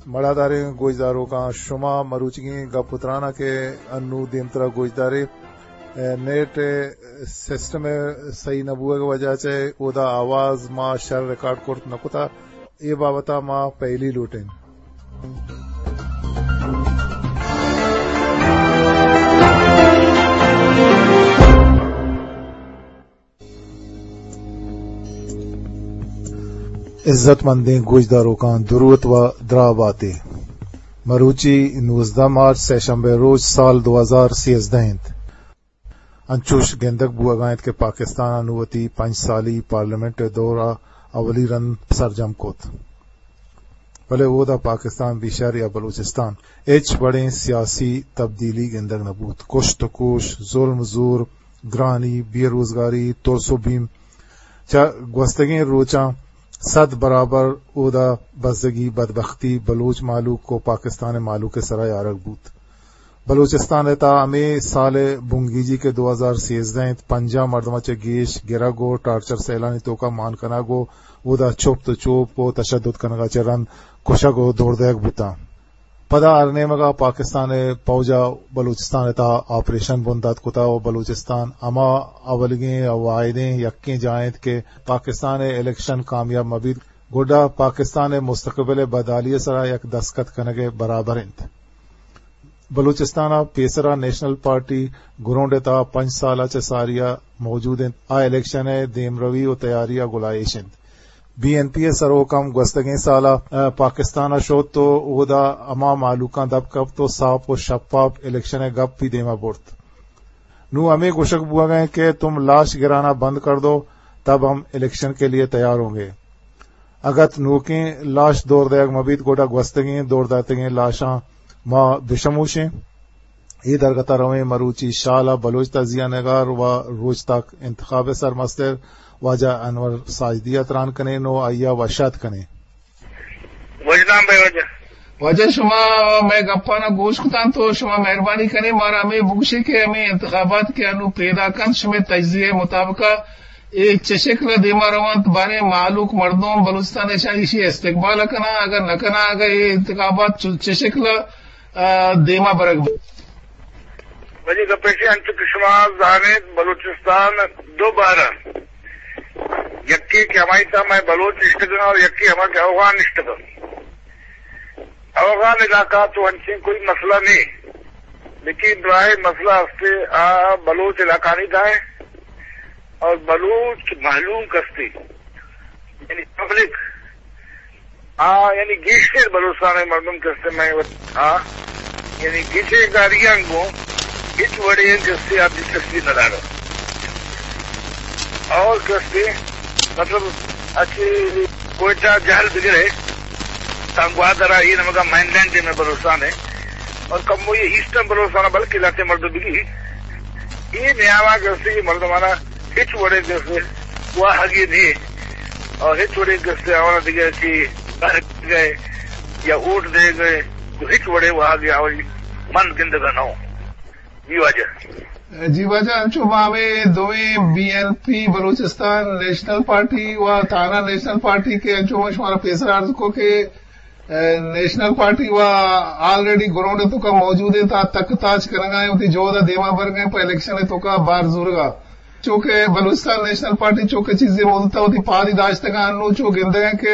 مڑاداریں گوشداروکاں، شما مروچیگیں گپ ءُ تراناں کہ انوں دیمترا گوشدارے، اے، نیٹ سسٹم ءِ صحیح نہ بوگ ءِ وجہ چہ اودا آواز ما شر ریکارڈ کرت نہ کتا۔ اے بابت ءَ ما پہلی لوٹیں۔ عزت مندیں گوشداروکاں، دروت ءُ دراہ باتے۔ مروچی نوزدہ مارچ، سہ شنبے روچ، سال دو ہزار سیزدہ انت۔ انچوش گندگ بوہگا انت کہ پاکستان ءَ نوں وتی پنچ سالی پارلیمنٹ ءِ دور ءَ اولی رند سرجم کت، بلے اودا پاکستان بشر یا بلوچستان ہچ وڑیں سیاسی تبدیلی گندگ نہ بوت۔ کشت ءُ کوش، ظلم ءُ زور، گرانی، بے روزگاری، ترس ءُ بیم، چہ گوستگیں روچاں صد برابر اودا بزگی، بدبختی بلوچ مہلوک ءُ پاکستان ءِ مہلوک ءِ سرا آرگ بوت۔ بلوچستان ءِ تہا ہمے سال ءِ بنگیجی کہ دو ہزار سیزدہ انت، پنجاہ مردماں چہ گیش گرگ ءُ ٹارچر سیلانی توکا مان کنگ ءُ اودا چپت ءُ چوپ ءُ تشدد کنگا چہ رند کشگ ءُ دور دئیگ بوتاں۔ پدا ہر نیمگا پاکستان ءِ پوج ءَ بلوچستان ءِ تہا آپریشن بندات کتا ءُ بلوچستان ہما اولیگیں ءُ واحدیں یکیں جاہ انت کہ پاکستان ءِ الیکشن کامیاب مہ بیت، گڈا پاکستان ءِ مستقبل ءِ بدحالی ءِ سرا یک دستخط کنگ ءِ برابر انت۔ بلوچستان ءَ پیسرا نیشنل پارٹی گراؤنڈ ءِ تہا پنچ سال ءَ چہ ساری ءَ موجود انت، آ الیکشن ءِ دیمروی ءُ تیاری ءَ گلائیش انت۔ بی این پی ءِ سروک ہم گوستگیں سال ءَ، ءَ، پاکستان ءَ شت ءُ اودا ہما مہلوکاں دپ کپت ءُ ساپ ءُ شپاپ الیکشن ءِ گپ بھی دیما برت۔ نوں ہمے گوشگ بوہگا انت کہ تم لاش گرانا بند کر دو، تب ہم الیکشن کے لیے تیار ہوں گے۔ اگت نوکیں لاش دور دئیگ مہ بیت، گڈا گوستگیں دور داتگیں لاشاں ما بشموشیں۔ اے درگت ءَ رویں مروچی شال ءَ بلوچ تجزیہ نگار ءُ روچ تاک انتخاب ءِ سرمستر واجہ انور ساجدی ءَ تران کنیں ءُ آئی ءَ وش آتک کنیں۔ وجدان بے واجہ۔ واجہ، شما مئے گپاں گوش کتاں تو شما مہربانی کنیں مارا ہمے بگوشے کہ ہمے انتخابات کہ انوں پیداک انت، شمئے تجزیہ ءِ مطابق ءَ اے چہ شکل ءَ دیما روانت، باریں مہلوک مردم بلوچستان ءَ شاید ایشی استقبال ءَ کناں، اگر نہ کناں، اگر اے انتخابات چ-، چہ شکل ءَ، آ، دیما برگ بہ؟ منی گپ ایش انت، انچو کہ شما زانیت، بلوچستان دو بہر انت، یکے کہ ہمائی تہا مئے بلوچ نشتگ انت اور یکے ہما کہ اوغان نشتگ انت۔ اوغان علاقہ تو انچیں کوئی مسئلہ نہیں، لیکن براہ مسئلہ ہستے آ بلوچ علاقہ نہیں دائیں اور بلوچ مہلوک ہستے، یعنی پبلک، آ، یعنی گیشتر بلوچستان ءِ مردم کہ است اَنت، مئے وت-، آ، یعنی گچین کاریاں گوں ہچ وڑے کہ است اَنت آ دلچسپی نہ دارت۔ اور کہ است اَنت، مطلب، اچ کوئٹہ جہل بگرے، تاں گوادر ءَ اے نمگا مین لینڈ ءَ مئے بلوچستان ءَ، اور کمو اے ایسٹرن بلوچستان ءَ بلکہ لہتے مردم بگی، اے نیاما کہ است اَنت اے مردمانا ہچ وڑے کہ است اَنت واہگے نے، اور ہچ وڑے کہ است اَنت آوانا دگہ چی بہر گئے یا ووٹ دے گئے، تو ہچ وڑے واہگے آوری من گندگا نہ ہوں۔ جی واجہ۔ جی واجہ، انچو ما ہمے دوئیں بی این پی بلوچستان نیشنل پارٹی و تھانہ نیشنل پارٹی کہ انچو ما شمارا پیسر عرض کو کہ اے، نیشنل پارٹی و آلریڈی گراؤنڈ ءِ توکا موجود اِنت، آ تک تاچ کنگا اِنت، وتی جہد ءَ دیما برگا اِنت، پہ الیکشن ءِ توکا بار زورگا۔ چونکہ بلوچستان نیشنل پارٹی چونکہ چیزے مدت ءَ وتی پادی داشتگا، انو چو گندگا اِنت کہ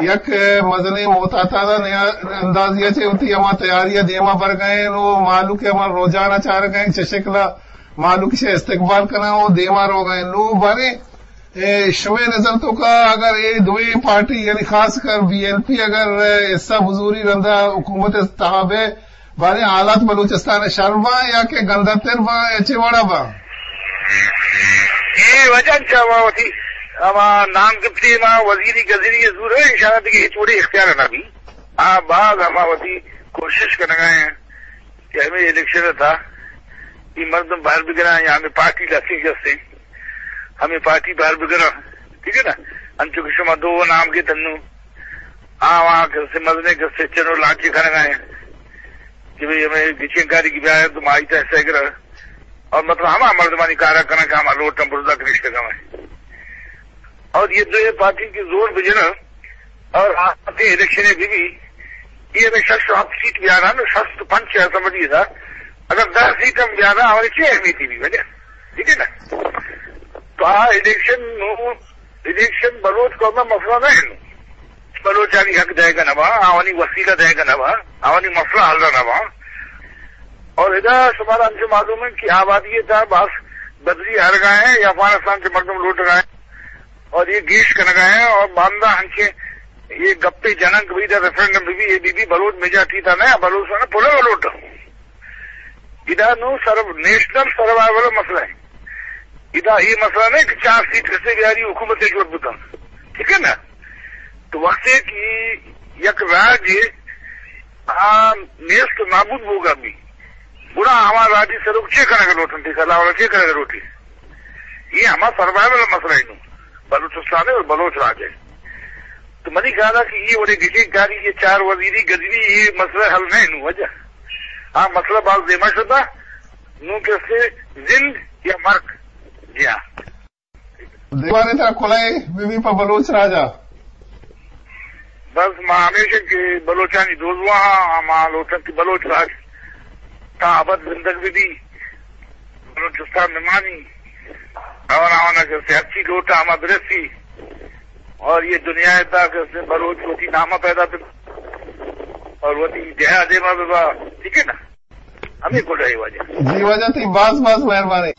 یک مزنیں محتاطا نیا-، اندازی ءَ چہ وتی ہما تیاری ءَ دیما برگا اِنت، نو مہلوک ءِ ہما رجحان ءَ چارگا اِنت، چہ شکل ءَ مہلوک چہ استقبال کناں و دیما روگا اِنت۔ نو باریں اے، شمئے نظر توکا اگر اے دوئیں پارٹی، یعنی خاص کر بی این پی اگر، اے، حصہ بزوری رندا حکومت ءِ تہا بئے، باریں حالات بلوچستان ءَ شر باں یا کہ گندتر باں یا چے وڑا باں؟ اے واجہ چہ ما وتی ہما نام گپتی ما وزیری گزیری زور ہے، انشاءاللہ دگہ ہچ وڑے اختیار نہ بی۔ آ باز ہما وتی کوشش کنگا اِنت کہ ہمے الیکشن ءِ تہا اے مردم بہر بگراں یا ہمے پارٹی لسی جستے ہمے پارٹی بہر بگراں، ٹھیک ہے نا؟ انچو کہ شما دو نام گپت انو، آ وہاں کسے مزنے کسے چنو لانچی کنگا اِنت کہ بھئی ہمے گچین کاری کی بیائے تو ما ایتا حصہ گراں۔ اور مطلب ہما مردمانی کارا کناں کہ ہما لوٹاں برزا کنشتگا اِنت۔ اور اے دوئیں پارٹی کہ زور بجناں اور آتے الیکشن بی بی، یہ ہمیں شش و ہفت سیٹ بیارا نا، شست و پنچ اسمبلی دا، اگر دہ سیٹ ہم بیارا، ہمارے چی اہمیتی بھی وجہ، ٹھیک ہے نا؟ تو آ الیکشن نو، الیکشن بلوچ قوم مسئلہ نہ ہے نو۔ بلوچانی حق دے گا نہ با، آوانی وسیلہ دے گا نہ با، آوانی مسئلہ حل نہ با۔ اور ادا شمارا ہم سے معلوم ہے کہ آبادی تا باز بدلی ہر گئے ہیں، یہ افغانستان سے مردم لوٹ گئے ہیں اور یہ گیش کر گئے ہیں اور باندہ ہنچے یہ گپے جنک بھی دا ریفرنڈم بھی، یہ بھی، بھی بلوچ میجارٹی تا نہ، بلوچ نے پورا لوٹ۔ ادا نو سر، نیشنل سروائیول مسئلہ ہے۔ ادا یہ مسئلہ نہیں کہ چار سیٹ کسے بیاری حکومت جوڑ بکن، ٹھیک ہے نا؟ تو وقت ہے کہ یک راج آ نیست و نابود ہوگا بھی، گڑا ہما راجی سروک چے کرنے کا لوٹن ٹھیک ہے، اللہ والا چے کرنے کا لوٹی؟ یہ ہما سروائیول مسئلہ ہے نو، بلوچستان ہے اور بلوچ راج ہے۔ تو منی خیال ہے کہ یہ وڑے گچین کاری، یہ چار وزیری گزری، یہ مسئلہ حل نہیں نو وجہ۔ ہاں، مسئلہ باز دیما شدہ، نو کسے زند یا مرگ۔ جی ہاں۔ دیوانے ترا کلائے بی بی پا بلوچ راجا۔ بس ما ہمیشہ کہ بلوچانی دوزواہ ہاں، ما لوٹن کہ بلوچ راج تا ابد زندگ بی بی۔ بلوچستان نمانی، آوان آوانا کسے ہرچی لوٹا ہما برسی، اور یہ دنیا تا کسے بلوچ وتی نامہ پیدا بی اور وتی جہا دیما بی با، ٹھیک ہے نا؟ ہمیں گڈا ہے واجہ۔ جی واجہ، تئی باز باز مہربانی۔